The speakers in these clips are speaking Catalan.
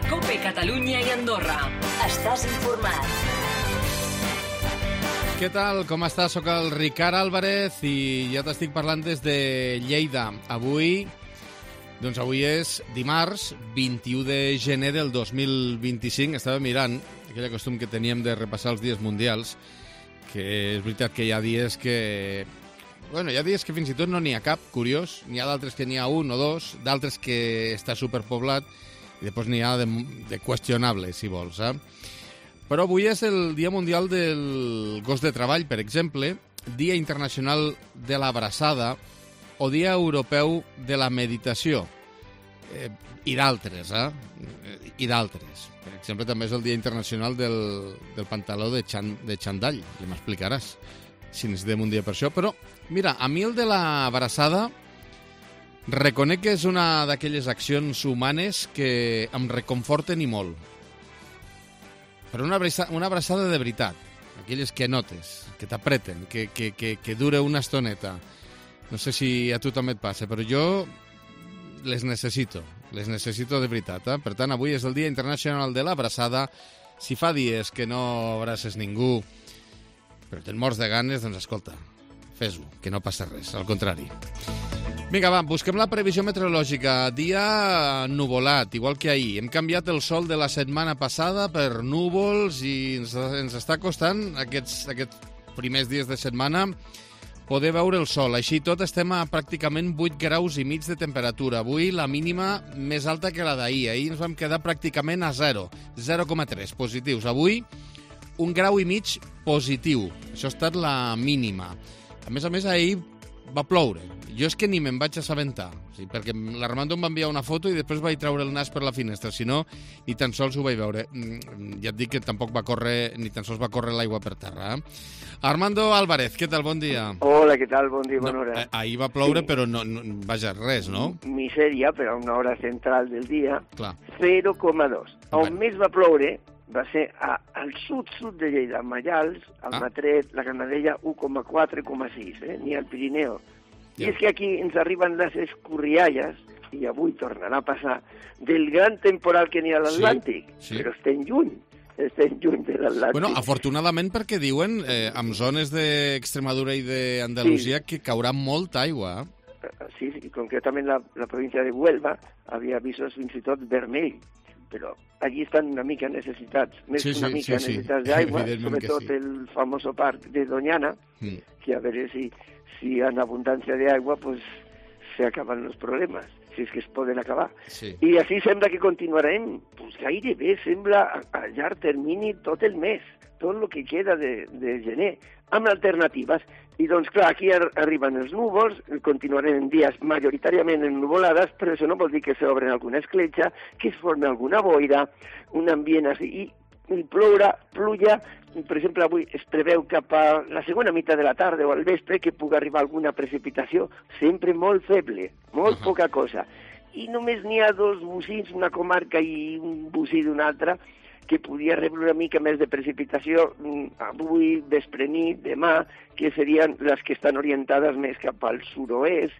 COPE Catalunya i Andorra. Estàs informat. Què tal? Com estàs? Soc el Ricard Álvarez i ja t'estic parlant des de Lleida. Avui és dimarts, 21 de gener del 2025. Estava mirant aquell costum que teníem de repassar els dies mundials, que és veritat que hi ha dies que... Bueno, hi ha dies que fins i tot no n'hi ha cap, curiós. N'hi ha d'altres que n'hi ha un o dos, d'altres que està superpoblat, i després n'hi ha de qüestionable, si vols, eh? Però avui és el Dia Mundial del Gos de Treball, per exemple, Dia Internacional de l'Abraçada o Dia Europeu de la Meditació. I d'altres, I d'altres. Per exemple, també és el Dia Internacional del Pantaló de xandall. Ja m'explicaràs si necessitem un dia per això. Però, mira, a mi el de l'abraçada reconec que és una d'aquelles accions humanes que em reconforten i molt. Però una abraçada de veritat, aquelles que notes, que t'apreten, que dura una estoneta. No sé si a tu també et passa, però jo les necessito de veritat. Per tant, avui és el Dia Internacional de l'Abraçada. Si fa dies que no abraces ningú, però te'n mors de ganes, doncs escolta, fes-ho, que no passa res, al contrari. Vinga, va, busquem la previsió meteorològica. Dia nuvolat, igual que ahir. Hem canviat el sol de la setmana passada per núvols i ens està costant aquests primers dies de setmana poder veure el sol. Així tot estem a pràcticament 8 graus i mig de temperatura. Avui la mínima més alta que la d'ahir. Ahir ens vam quedar pràcticament a 0,3 positius. Avui 1 grau i mig positiu. Això ha estat la mínima. A més, ahir va ploure. Jo és que ni me'n vaig assabentar, perquè l'Armando em va enviar una foto i després vaig treure el nas per la finestra, si no, ni tan sols ho vaig veure. Ja et dic que tampoc ni tan sols va córrer l'aigua per terra. Armando Álvarez, què tal? Bon dia. Hola, què tal? Bon dia, bona hora. Ahir va ploure, sí. Però no, vaja, res, no? Misèria, però a una hora central del dia, clar. 0,2. On més va ploure va ser al sud de Lleida, Mallals, al Matret, la Granadella, 1,4, 1,6, ni al Pirineu. I és que aquí ens arriben les escorrialles, i avui tornarà a passar, del gran temporal que n'hi ha a l'Atlàntic, però estem lluny de l'Atlàntic. Bueno, afortunadament perquè diuen, en zones d'Extremadura i d'Andalusia, que caurà molta aigua. Sí, concretament la província de Huelva havia avisos fins i tot vermell, però allí estan una mica necessitats, necessitats d'aigua, sobretot el famoso parc de Doñana, que a veure si en abundància d'aigua pues, se acaben els problemes, si és que es poden acabar. Sí. I així sembla que continuarem, pues, gairebé sembla a llarg termini tot el mes, tot el que queda de gener, amb alternatives. I doncs clar, aquí arriben els núvols, continuarem en dies majoritàriament ennuvolades, però això no vol dir que s'obren alguna escletxa, que es formi alguna boira, un ambient així, i pluja, per exemple, avui es preveu cap a la segona meitat de la tarda o al vespre que pugui arribar alguna precipitació, sempre molt feble, molt poca cosa. I només n'hi ha 2 bocins, una comarca i un bocí d'una altra, que podia rebre una mica més de precipitació avui, vespre nit, demà, que serien les que estan orientades més cap al sud-oest,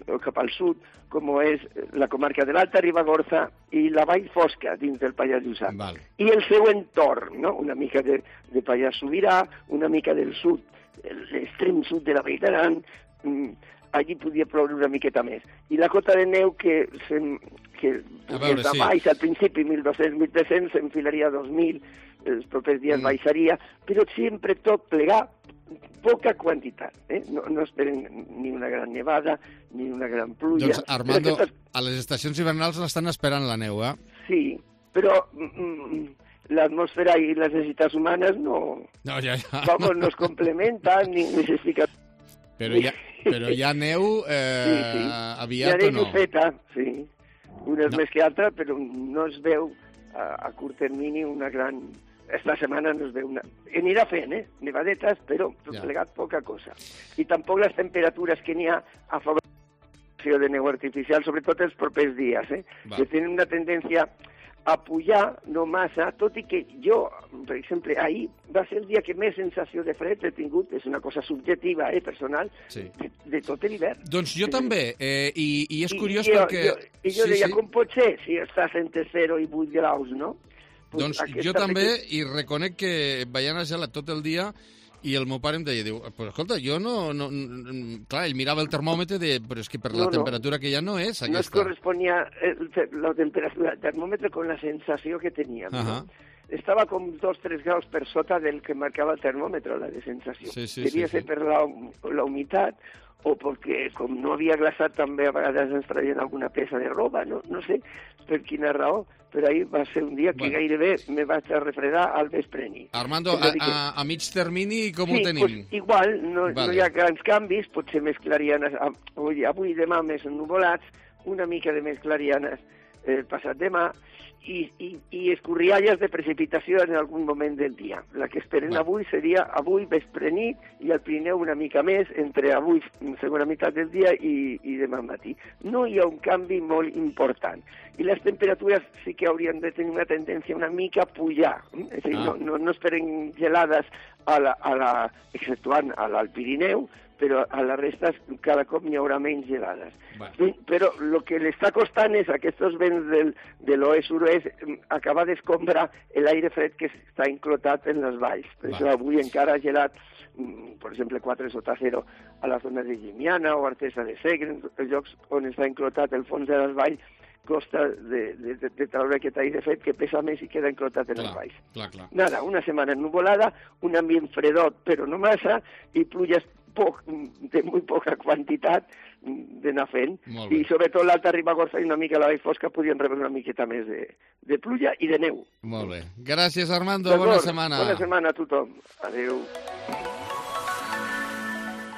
o cap al sud, com és la comarca de l'Alta Ribagorça i la Vall Fosca, dins del Pallars Jussà. I el seu entorn, no? Una mica de Pallars Sobirà, una mica del sud, l'extrem sud de la Vall d'Aran, allí podia ploure una miqueta més. I la cota de neu que des de baix, al principi 1.200-1.300, s'enfilaria a 2.000, els propers dies baixaria, però sempre tot plegar, poca quantitat. No esperen ni una gran nevada, ni una gran pluja. Doncs, Armando, a les estacions hivernals l'estan esperant la neu, eh? Sí, però l'atmosfera i les necessitats humanes no es complementen ni s'expliquen. Però hi ha neu aviat o no? Hi ha neu feta, sí. Una és més que altra, però no es veu a curt termini una gran... Esta setmana no es veu una... Anirà fent, nevadetes, però plegat poca cosa. I tampoc les temperatures que n'hi ha a favor de neu artificial, sobretot els propers dies, que tenen una tendència a pujar, no massa, tot i que jo, per exemple, ahir va ser el dia que més sensació de fred he tingut, és una cosa subjectiva, personal, de tot l'hivern. Doncs jo també, i és curiós perquè... Jo deia, com pot ser si estàs entre 0 i 8 graus, no? Doncs jo també, i reconec que veient a gelat tot el dia, i el meu pare em deia, pues escolta, jo no... Clar, ell mirava el termòmetre i deia, però és que per la temperatura que hi ha no és aquesta. No es corresponia la temperatura del termòmetre con la sensació que teníem, no? Estava com 2-3 graus per sota del que marcava el termòmetre, la de sensació. Devia ser per la humitat, o perquè com no havia glaçat també a vegades ens traien alguna peça de roba, no sé per quina raó, però ahir va ser un dia que gairebé me vaig a refredar al vespreni. Armando, a mig termini com ho tenim? Sí, pues igual, no hi ha grans canvis, potser més clarianes, avui i demà més ennuvolats, una mica de més clarianes passat demà, i escorrialles de precipitació en algun moment del dia. La que esperen avui seria avui vespre-nit i al Pirineu una mica més, entre avui segona meitat del dia i demà matí. No hi ha un canvi molt important. I les temperatures sí que haurien de tenir una tendència una mica a pujar. És a dir, no esperen gelades exceptuant a l'Alt Pirineu, però a la resta cada cop n'hi haurà menys gelades. Però el que li està costant és aquests vents de l'oest-suroest acabar d'escombrar l'aire fred que està enclotat en les valls. Per això avui encara ha gelat, per exemple, 4 sota 0 a la zona de Llimiana o Artesa de Segre, els llocs on està enclotat el fons de les valls, costa de treure aquest aire fred que pesa més i queda enclotat en els valls. Nada, una setmana ennuvolada, un ambient fredot però no massa, i pluges de molt poca quantitat d'anar fent, i sobretot l'Alta Ribagorça i una mica la Vall Fosca podien rebre una miqueta més de pluja i de neu. Molt bé. Gràcies, Armando. Bona setmana. Bona setmana a tothom. Adéu.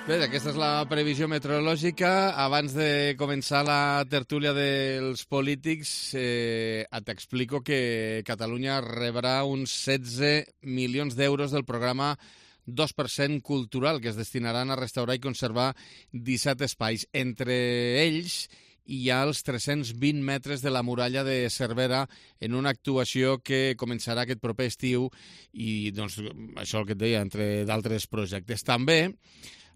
Bé, aquesta és la previsió meteorològica. Abans de començar la tertúlia dels polítics, t'explico que Catalunya rebrà uns 16 milions d'euros del programa 2% cultural, que es destinaran a restaurar i conservar 17 espais. Entre ells hi ha els 320 metres de la muralla de Cervera en una actuació que començarà aquest proper estiu i, doncs, això el que et deia, entre d'altres projectes. També,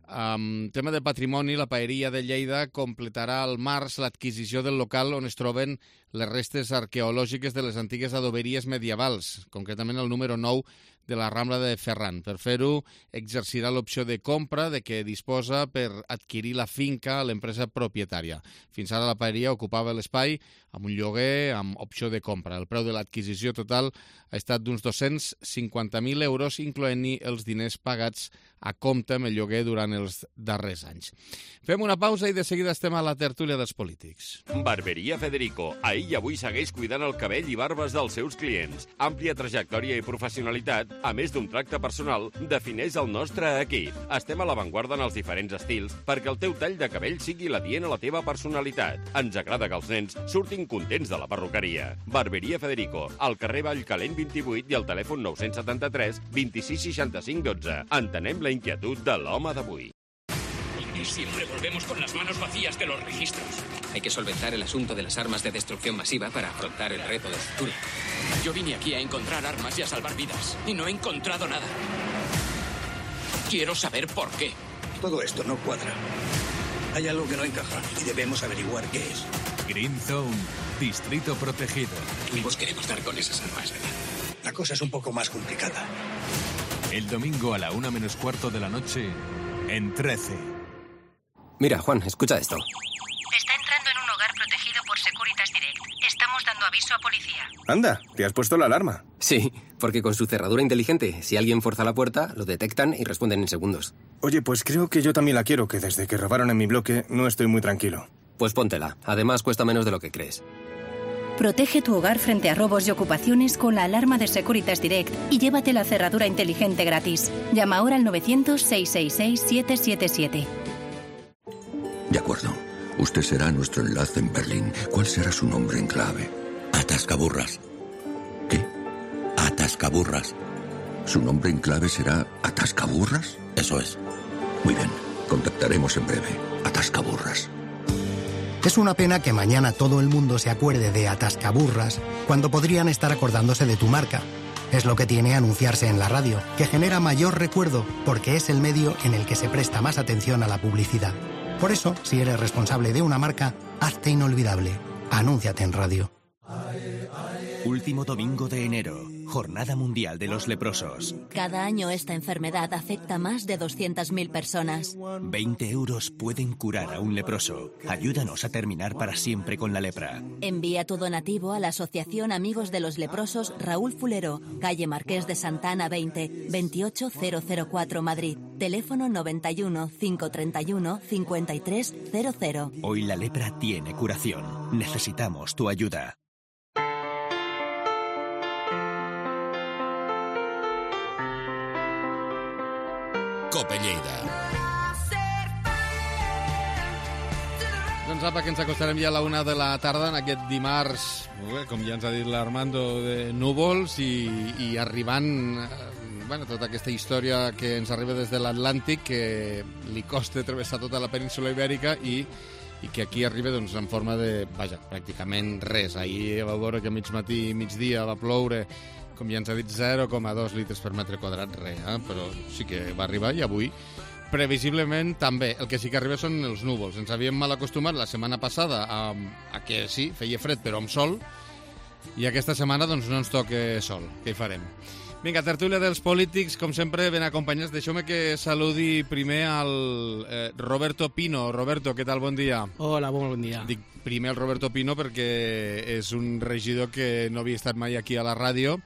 tema de patrimoni, la Paeria de Lleida completarà al març l'adquisició del local on es troben les restes arqueològiques de les antigues adoberies medievals, concretament el número 9 de la Rambla de Ferran. Per fer-ho, exercirà l'opció de compra de què disposa per adquirir la finca a l'empresa propietària. Fins ara la paeria ocupava l'espai amb un lloguer amb opció de compra. El preu de l'adquisició total ha estat d'uns 250.000 euros, incloent-hi els diners pagats a compte amb el lloguer durant els darrers anys. Fem una pausa i de seguida estem a la tertúlia dels polítics. Barberia Federico. Ahir i avui segueix cuidant el cabell i barbes dels seus clients. Àmplia trajectòria i professionalitat, a més d'un tracte personal, defineix el nostre equip. Estem a l'avantguarda en els diferents estils perquè el teu tall de cabell sigui l'adient a la teva personalitat. Ens agrada que els nens surtin contents de la perruqueria. Barberia Federico, al carrer Vallcalent 28 i al telèfon 973 26 65 12. Entenem la inquietud de l'home d'avui. Y siempre volvemos con las manos vacías de los registros. Hay que solventar el asunto de las armas de destrucción masiva para afrontar el reto del futuro. Yo vine aquí a encontrar armas y a salvar vidas, y no he encontrado nada. Quiero saber por qué. Todo esto no cuadra. Hay algo que no encaja y debemos averiguar qué es. Green Zone, distrito protegido. Ambos queremos dar con esas armas, ¿verdad? La cosa es un poco más complicada. El domingo a la 1:15 de la noche, en 13. Mira, Juan, escucha esto. Está entrando en un hogar protegido por Securitas Direct. Estamos dando aviso a policía. Anda, ¿te has puesto la alarma? Sí, porque con su cerradura inteligente, si alguien forza la puerta, lo detectan y responden en segundos. Oye, pues creo que yo también la quiero, que desde que robaron en mi bloque no estoy muy tranquilo. Pues póntela. Además, cuesta menos de lo que crees. Protege tu hogar frente a robos y ocupaciones con la alarma de Securitas Direct y llévate la cerradura inteligente gratis. Llama ahora al 900-666-777. De acuerdo. Usted será nuestro enlace en Berlín. ¿Cuál será su nombre en clave? Atascaburras. ¿Qué? Atascaburras. ¿Su nombre en clave será Atascaburras? Eso es. Muy bien. Contactaremos en breve. Atascaburras. Es una pena que mañana todo el mundo se acuerde de Atascaburras cuando podrían estar acordándose de tu marca. Es lo que tiene anunciarse en la radio, que genera mayor recuerdo porque es el medio en el que se presta más atención a la publicidad. Por eso, si eres responsable de una marca, hazte inolvidable. Anúnciate en radio. Último domingo de enero, Jornada Mundial de los Leprosos. Cada año esta enfermedad afecta a más de 200.000 personas. 20 euros pueden curar a un leproso. Ayúdanos a terminar para siempre con la lepra. Envía tu donativo a la Asociación Amigos de los Leprosos Raúl Fulero, calle Marqués de Santana 20, 28004 Madrid. Teléfono 91 531 5300. Hoy la lepra tiene curación. Necesitamos tu ayuda. Cope Lleida. Doncs apa, que ens acostarem ja a la 1 de la tarda en aquest dimarts, com ja ens ha dit l'Armando, de núvols i arribant tota aquesta història que ens arriba des de l'Atlàntic, que li costa travessar tota la península ibèrica i que aquí arriba en forma de, pràcticament res. Ahir va veure que a mig matí i migdia va ploure, com ja ens ha dit, 0,2 litres per metre quadrat, però sí que va arribar, i avui, previsiblement, també. El que sí que arriba són els núvols. Ens havíem mal acostumat la setmana passada a que sí, feia fred, però amb sol, i aquesta setmana no ens toca sol. Què hi farem? Vinga, tertúlia dels polítics, com sempre, ben acompanyats. Deixeu-me que saludi primer al Roberto Pino. Roberto, què tal? Bon dia. Hola, bon dia. Dic primer el Roberto Pino perquè és un regidor que no havia estat mai aquí a la ràdio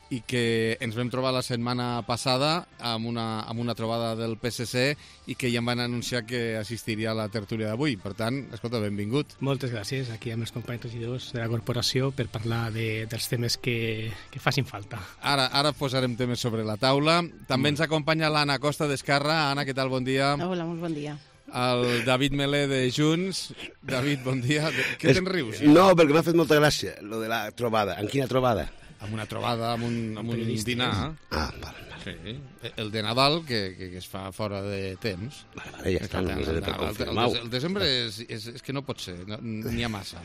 i que ens vam trobar la setmana passada amb una trobada del PSC i que ja em van anunciar que assistiria a la tertúlia d'avui. Per tant, escolta, benvingut. Moltes gràcies, aquí amb els companys regidors de la corporació per parlar dels temes que facin falta. Ara posarem temes sobre la taula. També ens acompanya l'Anna Costa d'Esquerra. Anna, què tal? Bon dia. Hola, molt bon dia. El David Melé de Junts. David, bon dia. Què te'n rius? No, perquè m'ha fet molta gràcia, lo de la trobada. En quina trobada? Amb una trobada, amb un dinar. Ah, val. Sí. El de Nadal, que es fa fora de temps. Vale, ja està, només he de confirmar. El desembre és que no pot ser, n'hi ha massa.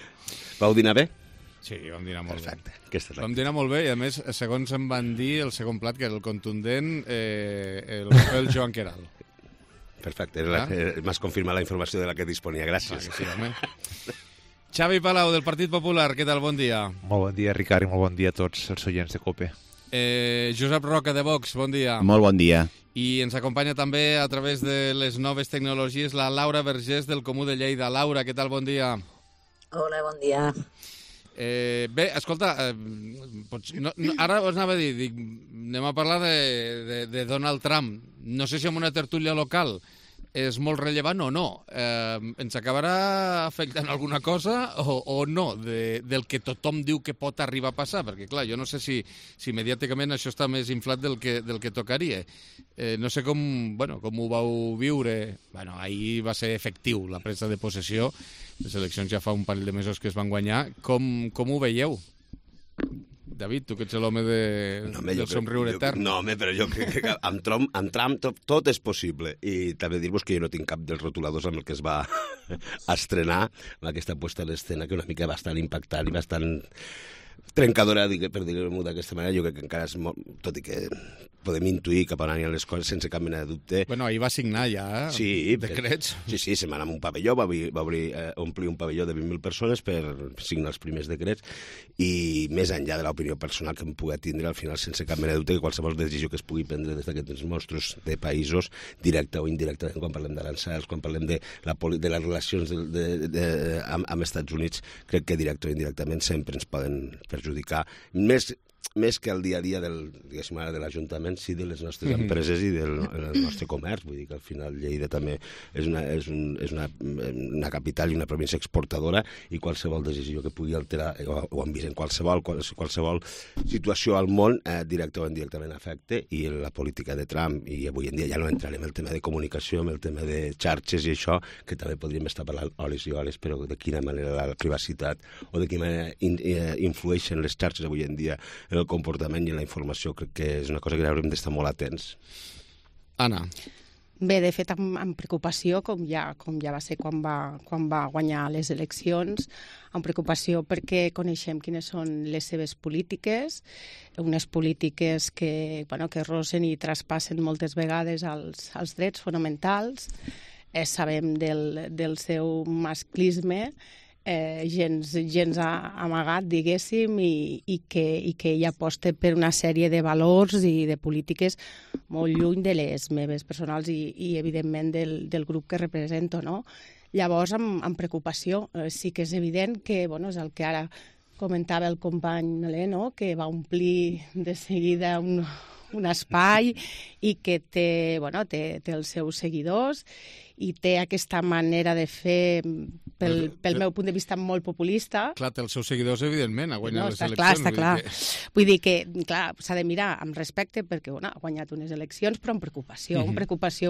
Vau dinar bé? Sí, vam dinar molt bé. Vam dinar molt bé i, a més, segons em van dir, el segon plat, que era el contundent, el Joan Queralt. Perfecte, m'has confirmat la informació de la que disponia, gràcies. Sí, home. Xavi Palau, del Partit Popular, què tal? Bon dia. Molt bon dia, Ricard, i molt bon dia a tots els oients de COPE. Josep Roca, de Vox, bon dia. Molt bon dia. I ens acompanya també a través de les noves tecnologies la Laura Vergés, del Comú de Lleida. Laura, què tal? Bon dia. Hola, bon dia. Bé, escolta, ara us anava a dir, anem a parlar de Donald Trump. No sé si en una tertúlia local és molt rellevant o no. Ens acabarà afectant alguna cosa o no del que tothom diu que pot arribar a passar? Perquè, clar, jo no sé si mediàticament això està més inflat del que tocaria. No sé com ho vau viure. Ahir va ser efectiu la presa de possessió. Les eleccions ja fa un parell de mesos que es van guanyar. Com ho veieu? David, tu que ets l'home del somriure etern. No, home, però jo crec que amb Trump tot és possible. I també dir-vos que jo no tinc cap dels rotuladors amb el que es va estrenar, amb aquesta puesta a l'escena, que una mica bastant impactant i bastant trencadora, per dir-ho d'aquesta manera. Jo crec que encara és molt... Tot i que podem intuir cap on aniran les coses sense cap mena de dubte. Bueno, ahir va signar ja decrets. Sí, se'n va anar amb un pavelló, va omplir un pavelló de 20.000 persones per signar els primers decrets, i més enllà de l'opinió personal que em pugui tindre, al final, sense cap mena de dubte, que qualsevol decisió que es pugui prendre des d'aquests monstruos de països, directa o indirectament, quan parlem d'aranzels, quan parlem de les relacions amb Estats Units, crec que directe o indirectament sempre ens poden perjudicar. Més que el dia a dia de l'Ajuntament, sí, de les nostres empreses i del nostre comerç. Vull dir que al final Lleida també és una capital i una província exportadora, i qualsevol decisió que pugui alterar, o han vist en qualsevol situació al món, directe o indirectament afecta, i la política de Trump, i avui en dia ja no entrarem en el tema de comunicació, en el tema de xarxes i això, que també podríem estar parlant hores i hores, però de quina manera la privacitat o de quina manera influeixen les xarxes avui en dia en el comportament i en la informació, crec que és una cosa que haurem d'estar molt atents. Anna. Bé, de fet, amb preocupació, com ja va ser quan va guanyar les eleccions, amb preocupació perquè coneixem quines són les seves polítiques, unes polítiques que rosen i traspassen moltes vegades els drets fonamentals. Sabem del seu masclisme, gens amagat, diguéssim, i que ella aposta per una sèrie de valors i de polítiques molt lluny de les meves personals i evidentment, del grup que represento, no? Llavors, amb preocupació, sí que és evident que, és el que ara comentava el company Melé, no? Que va omplir de seguida un espai i que té els seus seguidors i té aquesta manera de fer, pel meu punt de vista, molt populista. Clar, té els seus seguidors, evidentment, ha guanyat les eleccions. Està clar. Vull dir que, clar, s'ha de mirar amb respecte perquè ha guanyat unes eleccions, però amb preocupació,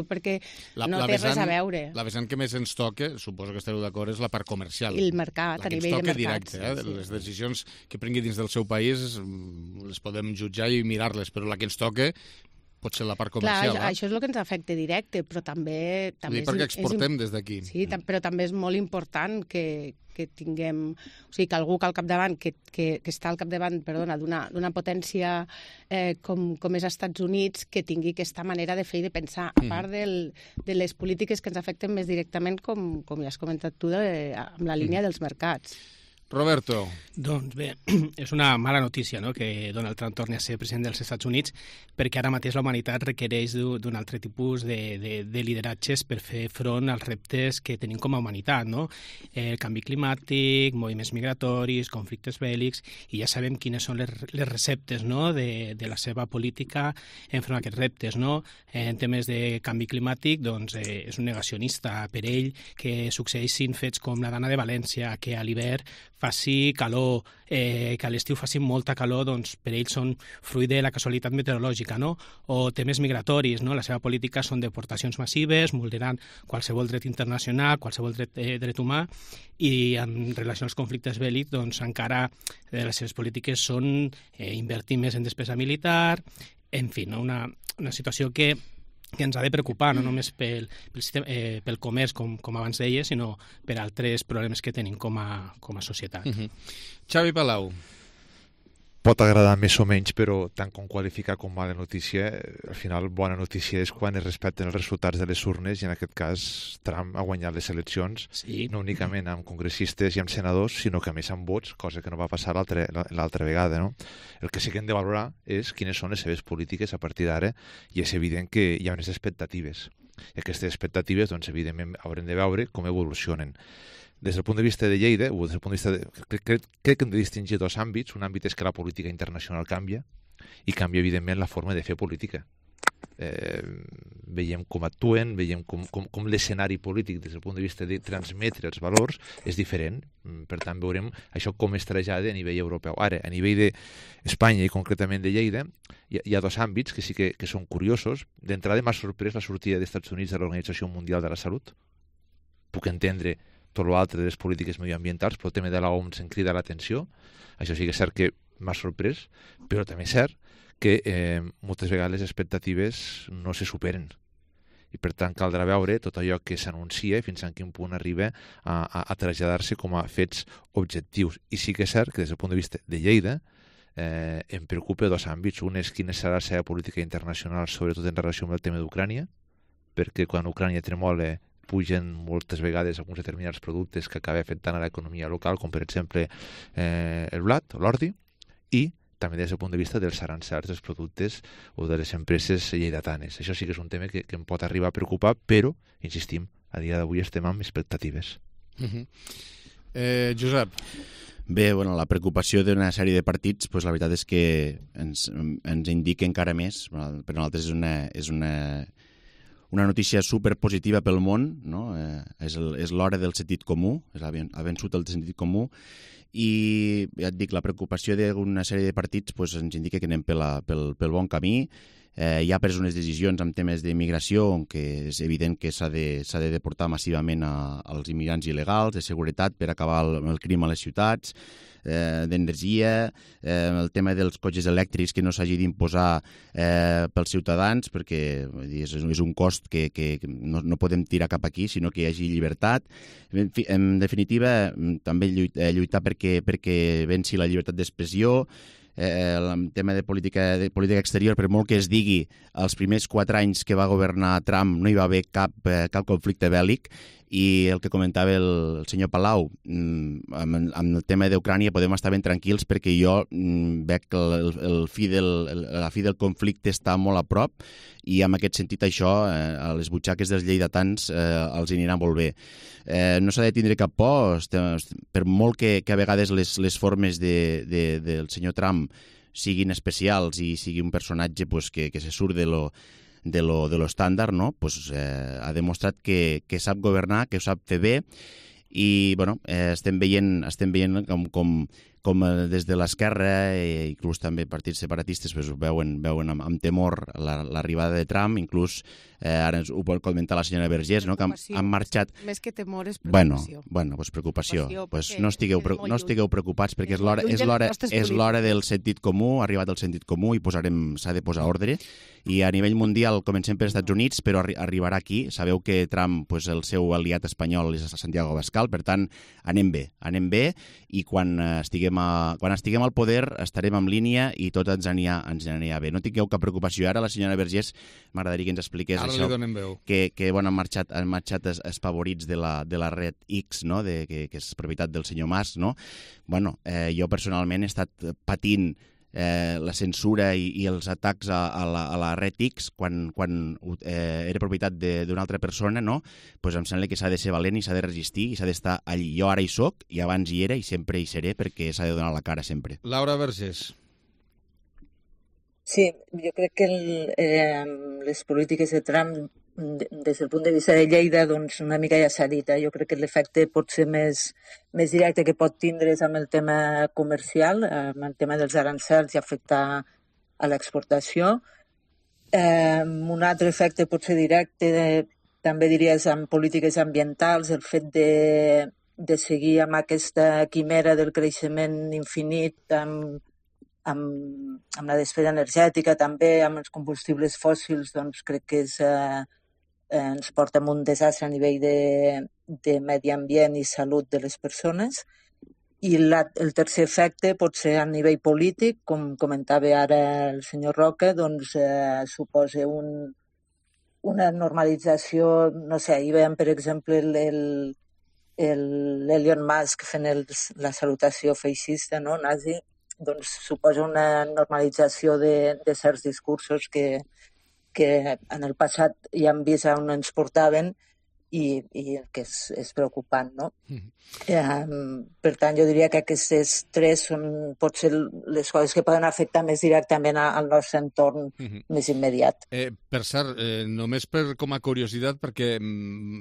perquè no té res a veure. La vessant que més ens toca, suposo que esteu d'acord, és la part comercial. El mercat, a nivell de mercat. Directe, Les decisions que prengui dins del seu país les podem jutjar i mirar-les, però la que ens toca pot ser la part comercial. Clar, això és el que ens afecta directe, però també perquè exportem des d'aquí. Sí, però també és molt important que tinguem... O sigui, que algú que al capdavant, que està al capdavant, d'una potència com és Estats Units, que tingui aquesta manera de fer i de pensar, a part de les polítiques que ens afecten més directament, com ja has comentat tu, amb la línia dels mercats. Roberto. Doncs bé, és una mala notícia, no?, que Donald Trump torni a ser president dels Estats Units, perquè ara mateix la humanitat requereix d'un altre tipus de lideratges per fer front als reptes que tenim com a humanitat, no? El canvi climàtic, moviments migratoris, conflictes bèl·lics, i ja sabem quines són les receptes, no?, de la seva política enfront a aquests reptes, no? En temes de canvi climàtic, doncs, és un negacionista. Per ell, que succeeixin fets com la Dana de València, que a l'hivern faci calor, que a l'estiu faci molta calor, doncs per ells són fruit de la casualitat meteorològica, no? O temes migratoris, no? La seva política són deportacions massives, vulnerant qualsevol dret internacional, qualsevol dret humà, i en relació als conflictes bèl·lics, doncs encara les seves polítiques són invertir més en despesa militar, en fi, no? Una situació que ens ha de preocupar, no només pel comerç, com abans deia, sinó per altres problemes que tenim com a societat. Xavi Palau. Pot agradar més o menys, però tant com qualificar com mala notícia, al final bona notícia és quan es respecten els resultats de les urnes, i en aquest cas Trump ha guanyat les eleccions, no únicament amb congressistes i amb senadors, sinó que a més amb vots, cosa que no va passar l'altra vegada, no? El que sí que hem de valorar és quines són les seves polítiques a partir d'ara, i és evident que hi ha unes expectatives. I aquestes expectatives, doncs, evidentment, haurem de veure com evolucionen. Des del punt de vista de Lleida, o des del punt de vista crec que hem de distingir dos àmbits. Un àmbit és que la política internacional canvia, i canvia, evidentment, la forma de fer política. Veiem com actuen, veiem com l'escenari polític des del punt de vista de transmetre els valors és diferent. Per tant, veurem això com es trasllada a nivell europeu. Ara, a nivell d'Espanya i concretament de Lleida, hi ha dos àmbits que sí que són curiosos. D'entrada, m'ha sorprès la sortida dels Estats Units de l'Organització Mundial de la Salut. Puc entendre tot l'altre de les polítiques medioambientals, però el tema de l'OMS em crida l'atenció. Això sí que és cert que m'ha sorprès, però també és cert que moltes vegades les expectatives no se superen. I per tant caldrà veure tot allò que s'anuncia fins a quin punt arriba a traslladar-se com a fets objectius. I sí que és cert que des del punt de vista de Lleida em preocupa dos àmbits. Un és quina serà la seva política internacional, sobretot en relació amb el tema d'Ucrània, perquè quan Ucrània tremola pugen moltes vegades alguns determinats productes que acaba afectant a l'economia local, com per exemple el blat o l'ordi, i també des del punt de vista dels arancels dels productes o de les empreses lleidatanes. Això sí que és un tema que em pot arribar a preocupar, però, insistim, a dia d'avui estem amb expectatives. Josep. Bé, la preocupació d'una sèrie de partits, la veritat és que ens indica encara més. Per nosaltres és una notícia superpositiva pel món, no? És l'hora del sentit comú, ha vençut el sentit comú, i ja et dic, la preocupació d'una sèrie de partits ens indica que anem pel bon camí. ja ha pres unes decisions en temes d'immigració, on que és evident que s'ha de deportar massivament als immigrants il·legals, de seguretat per acabar el crim a les ciutats, d'energia, el tema dels cotxes elèctrics que no s'hagi d'imposar pels ciutadans, perquè és un cost que no podem tirar cap aquí, sinó que hi hagi llibertat. En definitiva, també lluitar perquè venci la llibertat d'expressió, el tema de política exterior, per molt que es digui, els primers 4 anys que va governar Trump no hi va haver cap conflicte bèl·lic, i el que comentava el senyor Palau, amb el tema d'Ucrània podem estar ben tranquils perquè jo veig que la fi del conflicte està molt a prop, i en aquest sentit això a les butxaques dels lleidatans els anirà molt bé. No s'ha de tindre cap por, per molt que a vegades les formes del senyor Trump siguin especials i sigui un personatge que se surt de lo estàndard, no? Ha demostrat que sap governar, que ho sap fer bé, i bueno, estem veient com des de l'esquerra, inclús també partits separatistes, veuen amb temor l'arribada de Trump, inclús ara ho pot comentar la senyora Vergés, no? Que han marxat... Més que temor és preocupació. Bueno, preocupació. No estigueu preocupats perquè és l'hora del sentit comú, ha arribat el sentit comú i s'ha de posar ordre. I a nivell mundial comencem per Estats Units, però arribarà aquí. Sabeu que Trump, el seu aliat espanyol és Santiago Abascal, per tant, anem bé, i quan estiguem al poder estarem en línia i tot ens anirà bé. No tingueu cap preocupació. Ara la senyora Vergés m'agradaria que ens expliqués això, que han marxat els favorits de la red X, no? Que és propietat del senyor Mas, no? Bueno, jo personalment he estat patint la censura i els atacs a la red X quan era propietat d'una altra persona, no? Pues em sembla que s'ha de ser valent i s'ha de resistir i s'ha d'estar allí. Jo ara hi soc, i abans hi era i sempre hi seré, perquè s'ha de donar la cara sempre. Laura Vergés. Sí, jo crec que les polítiques de Trump, des del punt de vista de Lleida, doncs una mica ja s'ha dit. Jo crec que l'efecte pot ser més directe que pot tindre amb el tema comercial, amb el tema dels arancels i afectar a l'exportació. Un altre efecte pot ser directe, també diries, amb polítiques ambientals, el fet de seguir amb aquesta quimera del creixement infinit, amb la despesa energètica, també amb els combustibles fòssils, doncs crec que ens porta a un desastre a nivell de medi ambient i salut de les persones. I el tercer efecte pot ser a nivell polític, com comentava ara el senyor Roca, doncs suposa una normalització, no sé, ahir veiem, per exemple, l'Elon Musk fent la salutació feixista, no, nazi, doncs suposa una normalització de certs discursos que en el passat ja hem vist on ens portaven i que és preocupant, no? Per tant, jo diria que aquestes tres són potser les coses que poden afectar més directament al nostre entorn més immediat. Per cert, només com a curiositat, perquè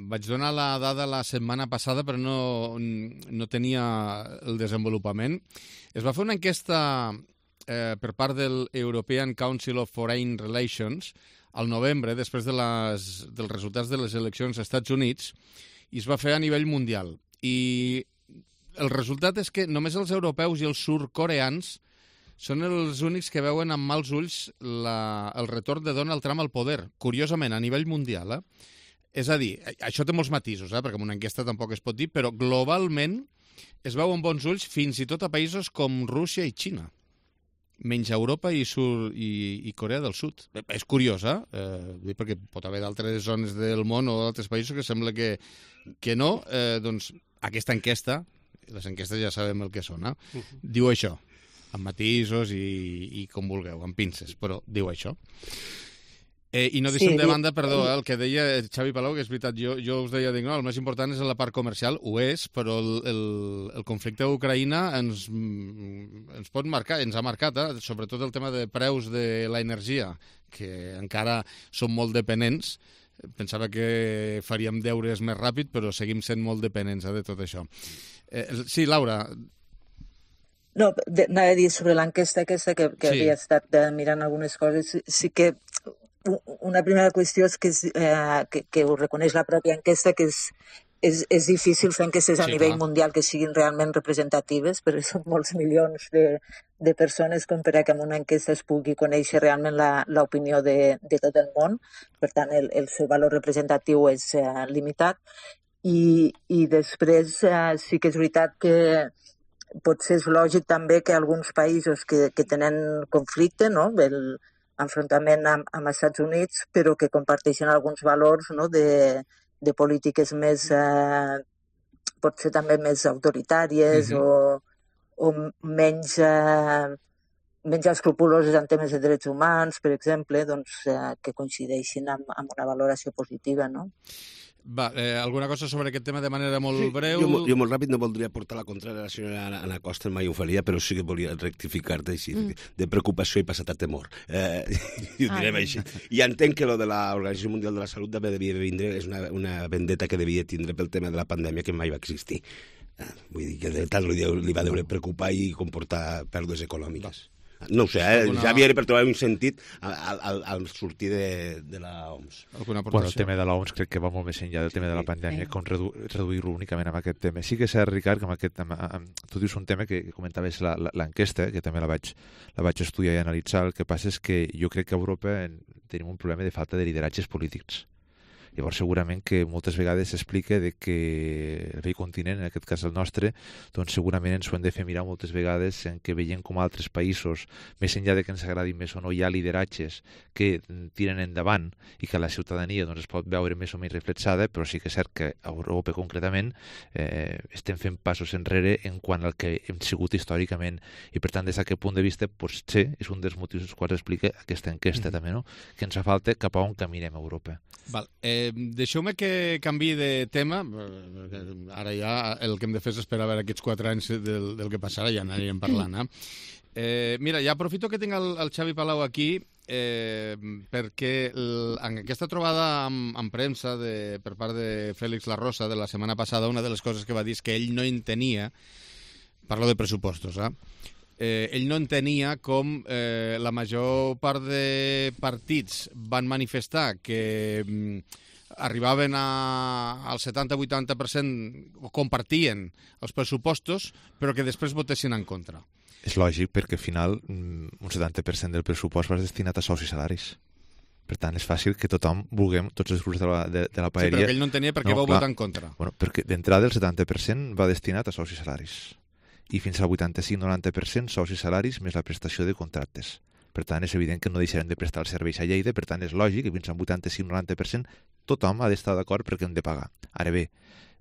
vaig donar la dada la setmana passada, però no tenia el desenvolupament. Es va fer una enquesta per part del European Council of Foreign Relations al novembre, després dels resultats de les eleccions als Estats Units, i es va fer a nivell mundial. I el resultat és que només els europeus i els sud-coreans són els únics que veuen amb mals ulls el retorn de Donald Trump al poder, curiosament, a nivell mundial. És a dir, això té molts matisos, perquè en una enquesta tampoc es pot dir, però globalment es veu amb bons ulls fins i tot a països com Rússia i Xina, menys Europa i Corea del Sud. És curiós, perquè pot haver d'altres zones del món o d'altres països que sembla que no. Doncs aquesta enquesta, les enquestes ja sabem el que són, diu això, amb matisos i com vulgueu, amb pinces, però diu això. I no deixem de banda, perdó, el que deia Xavi Palau, que és veritat, jo us deia, no, el més important és la part comercial, ho és, però el conflicte d'Ucraïna ens pot marcar, ens ha marcat, sobretot el tema de preus de l'energia, que encara som molt dependents. Pensava que faríem deures més ràpid, però seguim sent molt dependents de tot això. Sí, Laura. No, anava a dir sobre l'enquesta aquesta, que havia estat mirant algunes coses, sí que una primera qüestió és que ho reconeix la pròpia enquesta, que és difícil fer enquestes a nivell mundial que siguin realment representatives, perquè són molts milions de persones com per a que en una enquesta es pugui conèixer realment l'opinió de tot el món. Per tant, el seu valor representatiu és limitat. I després sí que és veritat que potser és lògic també que alguns països que tenen conflicte, no?, l'enfrontament amb els Estats Units, però que comparteixen alguns valors, no?, de polítiques més, potser també més autoritàries o menys escrupuloses en temes de drets humans, per exemple, doncs, que coincideixin amb una valoració positiva, no? Va, alguna cosa sobre aquest tema de manera molt breu? Jo molt ràpid no voldria portar la contrària a la senyora Ana Costa, mai ho faria, però sí que volia rectificar-te així, de preocupació i passat a temor. I ho direm així. I entenc que lo de l'Organització Mundial de la Salut també devia vindre, és una vendetta que devia tindre pel tema de la pandèmia que mai va existir. Vull dir que de tant li va deure preocupar i comportar pèrdues econòmiques. No ho sé, ja havia per trobar un sentit al sortir de l'OMS. Bueno, el tema de l'OMS crec que va molt més enllà del tema de la pandèmia, com reduir-lo únicament amb aquest tema. Sí que és cert, Ricard, que tu dius un tema que comentaves l'enquesta, que també la vaig estudiar i analitzar. El que passa és que jo crec que a Europa tenim un problema de falta de lideratges polítics. Llavors, segurament que moltes vegades s'explica que el vell continent, en aquest cas el nostre, doncs segurament ens ho hem de fer mirar moltes vegades en què veiem com altres països, més enllà de que ens agradi més o no, hi ha lideratges que tiren endavant i que la ciutadania doncs, es pot veure més o menys reflexada, però sí que és cert que a Europa concretament estem fent passos enrere en quant al que hem sigut històricament. I per tant, des d'aquest punt de vista, potser és un dels motius dels quals explica aquesta enquesta també, no? Que ens fa falta cap a on caminem a Europa. Val. Deixeu-me que canviï de tema. Ara ja el que hem de fer és esperar a veure aquests 4 anys del que passarà, ja anirem parlant. Mira, ja aprofito que tinc el Xavi Palau aquí perquè en aquesta trobada amb premsa per part de Félix La Rosa de la setmana passada, una de les coses que va dir és que ell no entenia, parlo de pressupostos, ell no entenia com la major part de partits van manifestar que arribaven al 70-80% o compartien els pressupostos, però que després votessin en contra. És lògic, perquè al final un 70% del pressupost va destinat a sous i salaris. Per tant, és fàcil que tothom vulguem, tots els grups de la paeria... Sí, però que ell no entenia per què va votar en contra. Bueno, perquè d'entrada el 70% va destinat a sous i salaris. I fins al 85-90% sous i salaris més la prestació de contractes. Per tant, és evident que no deixarem de prestar els serveis a Lleida, per tant, és lògic que fins al 85-90% tothom ha d'estar d'acord perquè hem de pagar. Ara bé,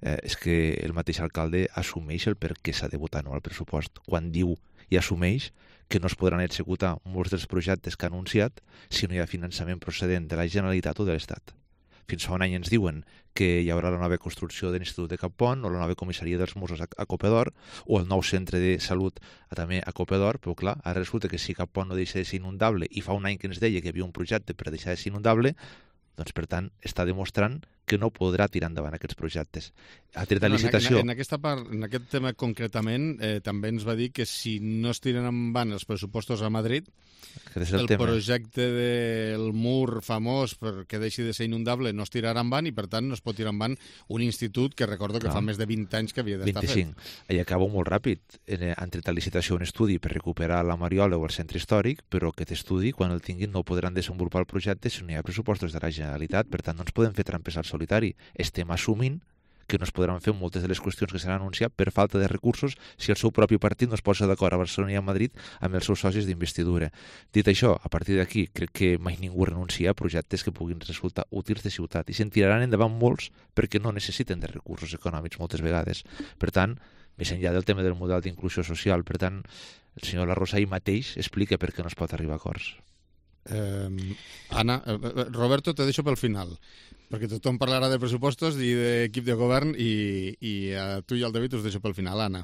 és que el mateix alcalde assumeix el per què s'ha de votar no al pressupost, quan diu i assumeix que no es podran executar molts dels projectes que ha anunciat si no hi ha finançament procedent de la Generalitat o de l'Estat. Fins fa un any ens diuen que hi haurà la nova construcció de l'Institut de Cap Pont o la nova comissaria dels Mossos a Copedor o el nou centre de salut també a Copedor, però clar, ara resulta que si Cap Pont no deixa de ser inundable i fa un any que ens deia que hi havia un projecte per deixar de ser inundable, doncs per tant està demostrant que no podrà tirar endavant aquests projectes. Ha tret de licitació... En aquest tema concretament també ens va dir que si no es tiren endavant els pressupostos a Madrid, el projecte del mur famós perquè deixi de ser inundable no es tirarà endavant i per tant no es pot tirar endavant un institut que recordo que fa més de 20 anys que havia d'estar fet. 25. I acabo molt ràpid. Han tret a licitació un estudi per recuperar la Mariola o el centre històric, però aquest estudi, quan el tinguin, no podran desenvolupar el projecte si no hi ha pressupostos de la Generalitat. Per tant, no ens podem fer trampes al solitari. Estem assumint que no es podran fer moltes de les qüestions que s'han anunciat per falta de recursos si el seu propi partit no es posa d'acord a Barcelona i a Madrid amb els seus socis d'investidura. Dit això, a partir d'aquí, crec que mai ningú renuncia a projectes que puguin resultar útils de ciutat i se'n tiraran endavant molts perquè no necessiten de recursos econòmics moltes vegades. Per tant, més enllà del tema del model d'inclusió social, per tant, el senyor La Rosa ahir mateix explica per què no es pot arribar a acords. Ana, Roberto, te deixo pel final, perquè tothom parlarà de pressupostos i d'equip de govern i a tu i al David us deixo pel final. Anna.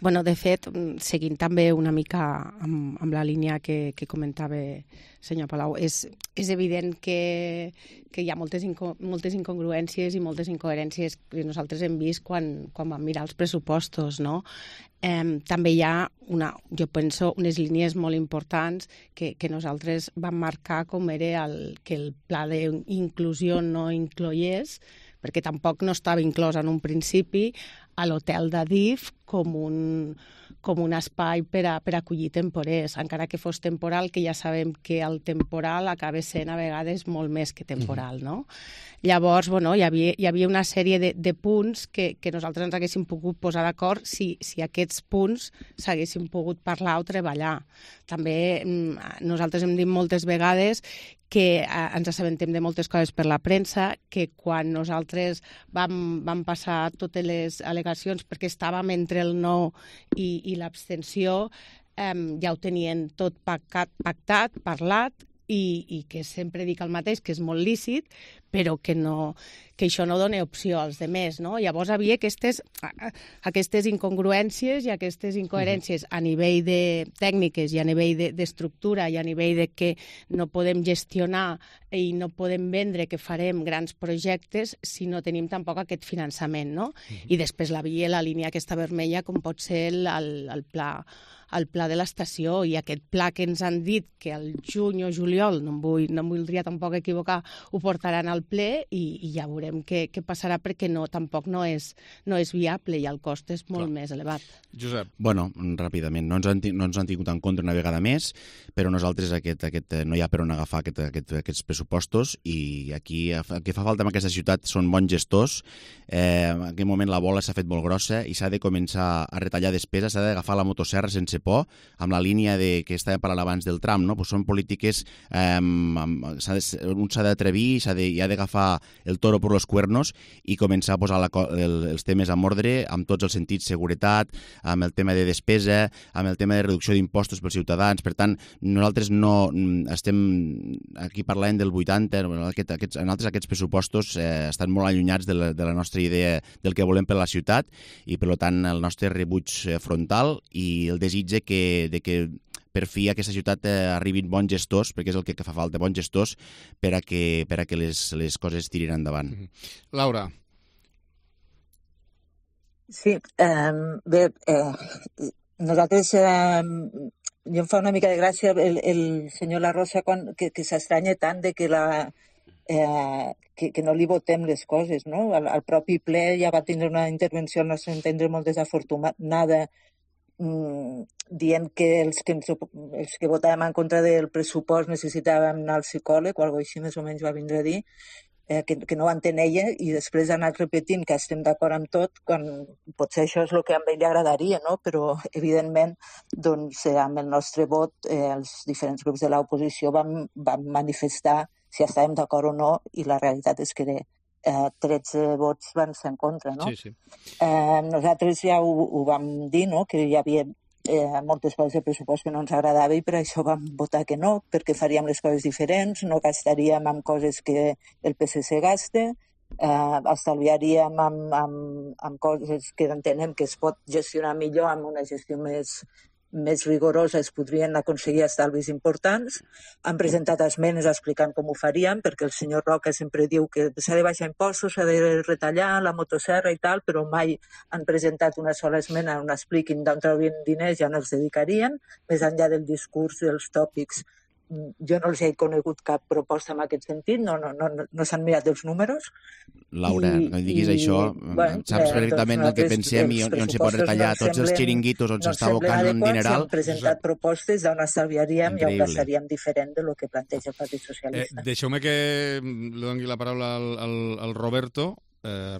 Bueno, de fet, seguint també una mica amb la línia que comentava senyor Palau, és evident que hi ha moltes incongruències i moltes incoherències que nosaltres hem vist quan vam mirar els pressupostos, no? També hi ha, jo penso, unes línies molt importants que nosaltres vam marcar com era que el pla d'inclusió no incloiés, perquè tampoc no estava inclòs en un principi a l'hotel d'Adif com un espai per acollir temporers, encara que fos temporal, que ja sabem que el temporal acaba sent a vegades molt més que temporal, no? Llavors, bueno, hi havia una sèrie de punts que nosaltres ens haguéssim pogut posar d'acord si aquests punts s'haguessin pogut parlar o treballar. També nosaltres hem dit moltes vegades que ens assabentem de moltes coses per la premsa, que quan nosaltres vam passar totes les al·legacions perquè estàvem entre el no i l'abstenció, ja ho tenien tot pactat, parlat, i que sempre dic el mateix, que és molt lícit, però que això no dona opció als demés, no? Llavors hi havia aquestes incongruències i aquestes incoherències a nivell de tècniques i a nivell d'estructura i a nivell de que no podem gestionar i no podem vendre que farem grans projectes si no tenim tampoc aquest finançament, no? I després la línia aquesta vermella, com pot ser el pla de l'estació, i aquest pla que ens han dit que al juny o juliol, no em voldria tampoc equivocar, ho portaran al ple i ja veurem què passarà, perquè tampoc no és viable i el cost és molt més elevat. Josep. Bueno, ràpidament, no ens han tingut en compte una vegada més, però nosaltres no hi ha per on agafar aquests pressupostos, i aquí el que fa falta en aquesta ciutat són bons gestors. En aquest moment la bola s'ha fet molt grossa i s'ha de començar a retallar despesa, s'ha d'agafar la motosserra sense por, amb la línia que estava parlant abans del tram, no? Pues són polítiques, un s'ha d'atrevir, i ha d'agafar el toro per los cuernos i començar a posar els temes en ordre, amb tots els sentits, seguretat, amb el tema de despesa, amb el tema de reducció d'impostos pels ciutadans. Per tant, nosaltres no estem aquí parlant del 80, nosaltres aquests pressupostos estan molt allunyats de la nostra idea del que volem per la ciutat, i per tant el nostre rebuig frontal i el desig de que per fi a aquesta ciutat arribin bons gestors, perquè és el que fa falta, bons gestors, per a que les coses tirin endavant. Laura. Sí, bé, nosaltres, jo em fa una mica de gràcia el senyor La Rosa que s'estranya tant de que no li votem les coses, no? Al propi ple ja va tindre una intervenció, al nostre entendre, molt desafortunada, dient que els que votàvem en contra del pressupost necessitàvem anar al psicòleg o alguna cosa així, més o menys va vindre a dir, que no ho entén ella, i després ha anat repetint que estem d'acord amb tot, quan potser això és el que a ell li agradaria, no? Però evidentment doncs, amb el nostre vot els diferents grups de l'oposició vam manifestar si estàvem d'acord o no, i la realitat és que 13 vots van ser en contra, no? Sí. Nosaltres ja ho vam dir, no? Que hi havia moltes coses de pressupost que no ens agradava i per això vam votar que no, perquè faríem les coses diferents, no gastaríem en coses que el PSC gasta, estalviaríem amb coses que entenem que es pot gestionar millor amb una gestió més rigorosa, es podrien aconseguir estalvis importants. Han presentat esmenes explicant com ho faríem, perquè el senyor Roca sempre diu que s'ha de baixar impostos, s'ha de retallar la motosserra i tal, però mai han presentat una sola esmena on expliquin d'on traurien diners i on els dedicarien, més enllà del discurs dels tòpics. Jo no els he conegut cap proposta en aquest sentit, no s'han mirat els números. Laura, no diguis això, saps perfectament el que pensem i on se pot retallar tots els xiringuitos on s'està abocant un dineral. Hem presentat propostes d'on estalviaríem i on gastaríem diferent de lo que planteja el Partit Socialista. Deixeu-me que li doni la paraula al Roberto.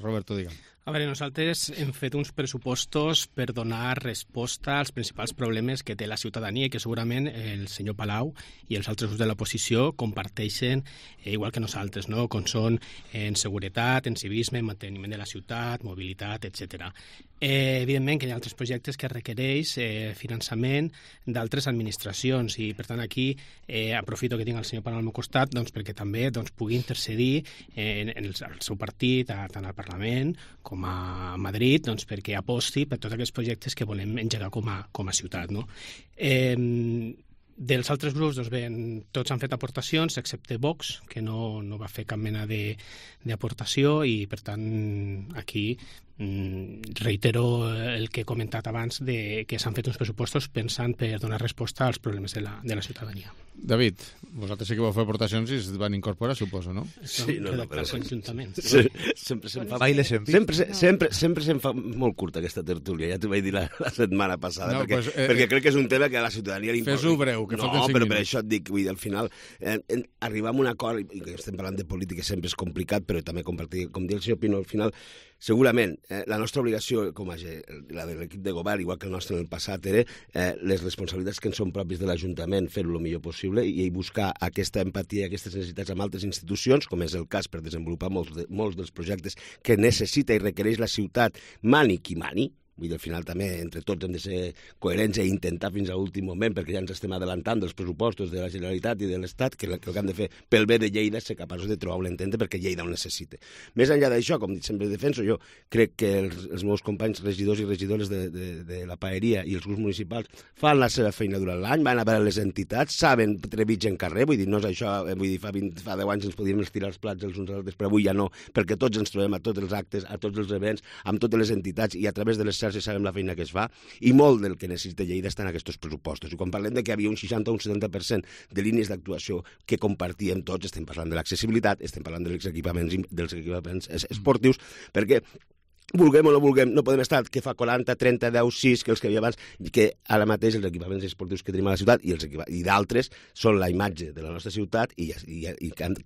Roberto, digue'm. A veure, nosaltres hem fet uns pressupostos per donar resposta als principals problemes que té la ciutadania i que segurament el senyor Palau i els altres grups de l'oposició comparteixen igual que nosaltres, no? Com són en seguretat, en civisme, en manteniment de la ciutat, mobilitat, etc. Evidentment que hi ha altres projectes que requereix finançament d'altres administracions i, per tant, aquí aprofito que tinc el senyor Palau al meu costat perquè també pugui intercedir en el seu partit, tant al Parlament com a Madrid, doncs, perquè aposti per tots aquests projectes que volem engegar com a ciutat, no? Dels altres grups, doncs bé, tots han fet aportacions, excepte Vox, que no va fer cap mena d'aportació, i per tant aquí reitero el que he comentat abans, que s'han fet uns pressupostos pensant per donar resposta als problemes de la ciutadania. David, vosaltres sí que vau fer aportacions i es van incorporar, suposo, no? Sí, redactar conjuntament. Sempre se'm fa molt curta aquesta tertúlia, ja t'ho vaig dir la setmana passada, perquè crec que és un tema que a la ciutadania li importa. Fes-ho breu, que falten 5 minuts. No, però per això et dic, al final, arribar a un acord, i que estem parlant de política sempre és complicat, però també compartir, com diu el senyor Pino, al final, segurament, la nostra obligació, la de l'equip de govern, igual que el nostre en el passat, era les responsabilitats que ens són propis de l'Ajuntament, fer-ho el millor possible i buscar aquesta empatia i aquestes necessitats amb altres institucions, com és el cas per desenvolupar molts dels projectes que necessita i requereix la ciutat, mani qui mani. Vull dir, al final també entre tots hem de ser coherents i intentar fins a l'últim moment, perquè ja ens estem adelantant dels pressupostos de la Generalitat i de l'Estat, que el que hem de fer pel bé de Lleida és ser capaços de trobar un entente perquè Lleida ho necessita. Més enllà d'això, com sempre defenso, jo crec que els meus companys regidors i regidores de la paeria i els grups municipals fan la seva feina durant l'any, van a veure les entitats, saben trebitjar en carrer, vull dir, no és això, vull dir, fa 10 anys ens podíem estirar els plats els uns als altres, però avui ja no, perquè tots ens trobem a tots els actes, a tots els events, amb totes les entitats i a través de les xarxes sabem la feina que es fa, i molt del que necessita Lleida està en aquests pressupostos. I quan parlem de que hi havia un 60 o un 70% de línies d'actuació que compartíem tots, estem parlant de l'accessibilitat, estem parlant dels equipaments esportius, perquè vulguem o no vulguem, no podem estar que fa 40, 30, 10, 6, que els que hi havia abans, que ara mateix els equipaments esportius que tenim a la ciutat i d'altres són la imatge de la nostra ciutat i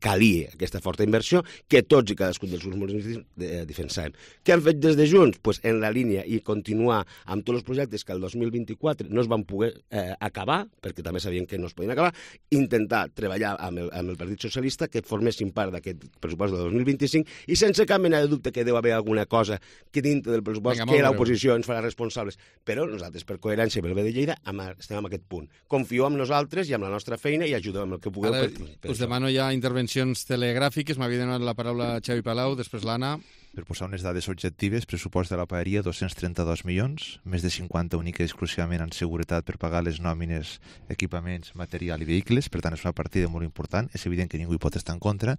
calia aquesta forta inversió que tots i cadascun dels grups municipals defensàvem. Què han fet des de Junts? Pues en la línia i continuar amb tots els projectes que el 2024 no es van poder acabar, perquè també sabien que no es podien acabar, intentar treballar amb el Partit Socialista que formessin part d'aquest pressupost del 2025 i sense cap mena de dubte que deu haver alguna cosa que dintre del pressupost que l'oposició ens farà responsables. Però nosaltres, per coherència i pel bé de Lleida, estem en aquest punt. Confieu en nosaltres i amb la nostra feina i ajudeu amb el que pugueu. Ara us demano ja intervencions telegràfiques. M'havia donat la paraula Xavi Palau, després l'Anna. Per posar unes dades objectives, pressupost de la paeria 232 milions, més de 50 única i exclusivament en seguretat per pagar les nòmines, equipaments, material i vehicles, per tant és una partida molt important, és evident que ningú hi pot estar en contra.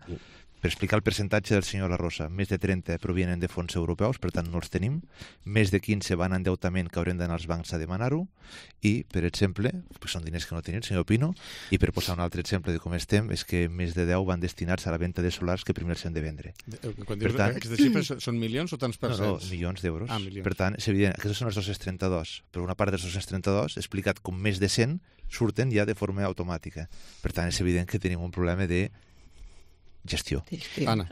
Per explicar el percentatge del senyor La Rosa, més de 30 provenen de fons europeus, per tant no els tenim, més de 15 van a endeutament que haurem d'anar als bancs a demanar-ho, i, per exemple, són diners que no tenim, senyor Pino, i per posar un altre exemple de com estem, és que més de 10 van destinats a la venda de solars que primer s'han de vendre. Quan dius aquestes xifres són milions o tants percents? No, milions d'euros. Per tant, és evident, aquests són els 232, però una part dels 232, explicat com més de 100, surten ja de forma automàtica. Per tant, és evident que tenim un problema de gestió. Anna.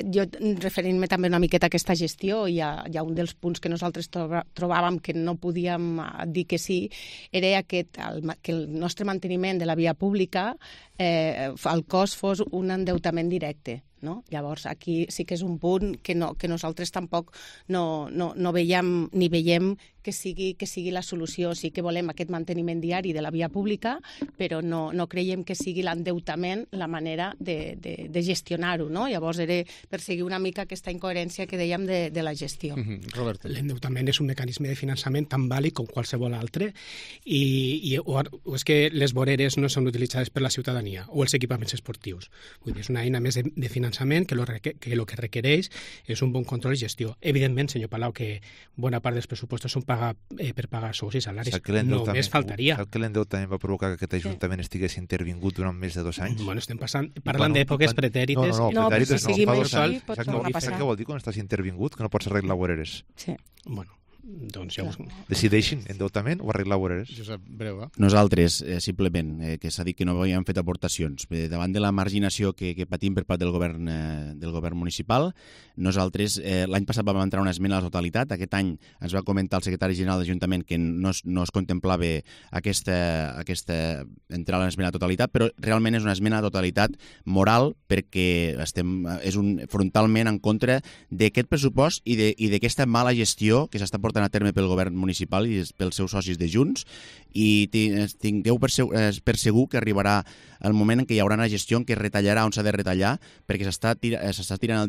Jo, referint-me també una miqueta a aquesta gestió, hi ha un dels punts que nosaltres trobàvem que no podíem dir que sí, era que el nostre manteniment de la via pública, el cost fos un endeutament directe. No? Llavors, aquí sí que és un punt que nosaltres tampoc no veiem ni veiem que sigui la solució. Sí que volem aquest manteniment diari de la via pública, però no creiem que sigui l'endeutament la manera de gestionar-ho. No? Llavors, era perseguir una mica aquesta incoherència que dèiem de la gestió. Roberto. L'endeutament és un mecanisme de finançament tan vàlid com qualsevol altre i és que les voreres no són utilitzades per la ciutadania o els equipaments esportius. Vull dir, és una eina més de finançament que el que requereix és un bon control i gestió. Evidentment, senyor Palau, que bona part dels pressupostos són per pagar sous i salaris. Només faltaria. Sap que l'endeutament va provocar que aquest Ajuntament estigués intervingut durant més de 2 anys? Bueno, estem parlant d'èpoques pretèrites. No, pretèrites no. Si seguim així, pot tornar a passar. Saps què vol dir quan estàs intervingut? Que no pots arreglar voreres. Sí. Bueno, doncs ja decideixin endeutament o arreglar voreres. Josep, breu, Nosaltres, simplement, que s'ha dit que no havíem fet aportacions. Davant de la marginació que patim per part del govern municipal, nosaltres l'any passat vam entrar una esmena a la totalitat. Aquest any ens va comentar el secretari general de l'Ajuntament que no es contemplava aquesta entrar a l'esmena a la totalitat, però realment és una esmena a la totalitat moral perquè és frontalment en contra d'aquest pressupost i d'aquesta mala gestió que s'està portant portant a terme pel govern municipal i pels seus socis de Junts, i tingueu per segur que arribarà el moment en què hi haurà una gestió en què es retallarà on s'ha de retallar, perquè s'està tirant el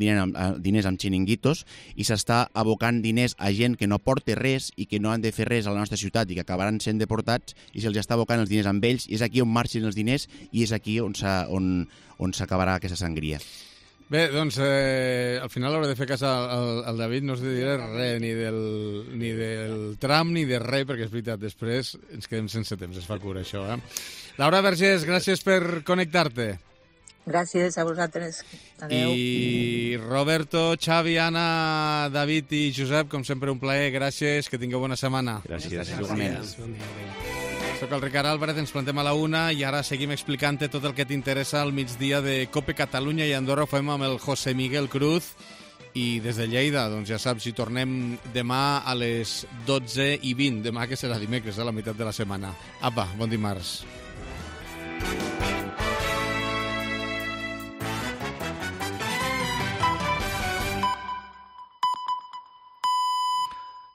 diners amb xiringuitos i s'està abocant diners a gent que no porta res i que no han de fer res a la nostra ciutat i que acabaran sent deportats, i se'ls està abocant els diners amb ells, i és aquí on marxen els diners i és aquí on s'acabarà aquesta sangria. Bé, doncs, al final hauré de fer cas al David, no us diré res ni del tram ni de res, perquè és veritat, després ens quedem sense temps, es fa cura això, eh? Laura Vergés, gràcies per connectar-te. Gràcies a vosaltres. Adéu. I Roberto, Xavi, Anna, David i Josep, com sempre un plaer, gràcies, que tingueu bona setmana. Gràcies. Soc el Ricard Álvarez, ens plantem a la 1 i ara seguim explicant-te tot el que t'interessa al migdia de Cope Catalunya i Andorra. Ho fem amb el José Miguel Cruz i des de Lleida, doncs ja saps, hi tornem demà a les 12:20, demà que serà dimecres, a la meitat de la setmana. Apa, bon dimarts.